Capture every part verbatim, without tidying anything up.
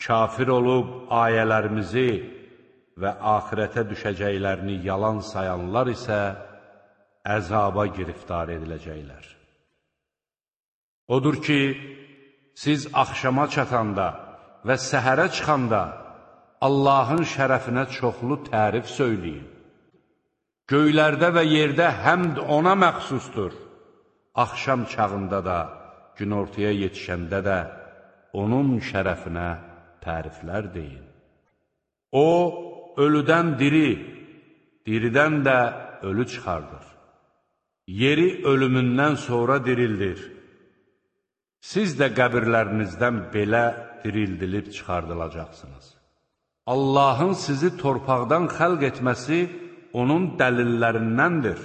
kafir olub ayələrimizi və axirətə düşəcəklərini yalan sayanlar isə əzaba giriftar ediləcəklər. Odur ki, siz axşama çatanda və səhərə çıxanda Allahın şərəfinə çoxlu tərif söyləyin. Göylərdə və yerdə həmd ona məxsusdur. Axşam çağında da, günortaya yetişəndə də onun şərəfinə təriflər deyin. O, ölüdən diri, diridən də ölü çıxardır. Yeri ölümündən sonra dirildir. Siz də qəbirlərinizdən belə dirildilib çıxardılacaqsınız. Allahın sizi torpaqdan xəlq etməsi onun dəlillərindəndir.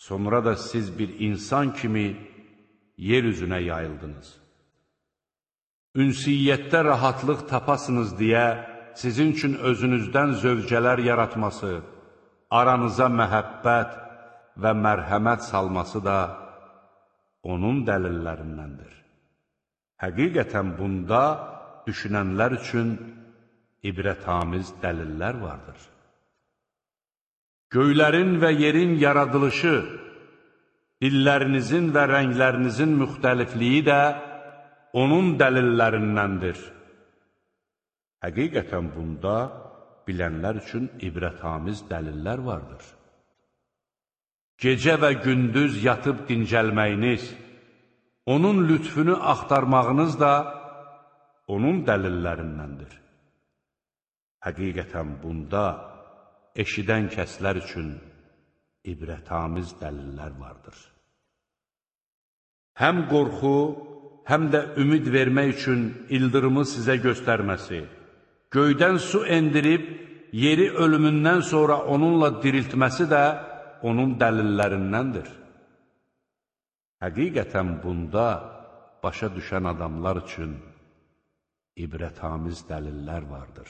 Sonra da siz bir insan kimi yer üzünə yayıldınız. Ünsiyyətdə rahatlıq tapasınız deyə sizin üçün özünüzdən zövcələr yaratması, aranıza məhəbbət və mərhəmət salması da onun dəlillərindəndir. Həqiqətən bunda düşünənlər üçün ibrətamiz dəlillər vardır. Göylərin və yerin yaradılışı, dillərinizin və rənglərinizin müxtəlifliyi də onun dəlillərindəndir. Həqiqətən bunda bilənlər üçün ibrətamiz dəlillər vardır. Gecə və gündüz yatıb dincəlməyiniz, onun lütfünü axtarmağınız da onun dəlillərindəndir. Həqiqətən bunda eşidən kəslər üçün ibrətamiz dəlillər vardır. Həm qorxu, həm də ümid vermək üçün ildırımı sizə göstərməsi, göydən su endirib, yeri ölümündən sonra onunla diriltməsi də onun dəlillərindəndir. Həqiqətən bunda başa düşən adamlar üçün ibrətamiz dəlillər vardır.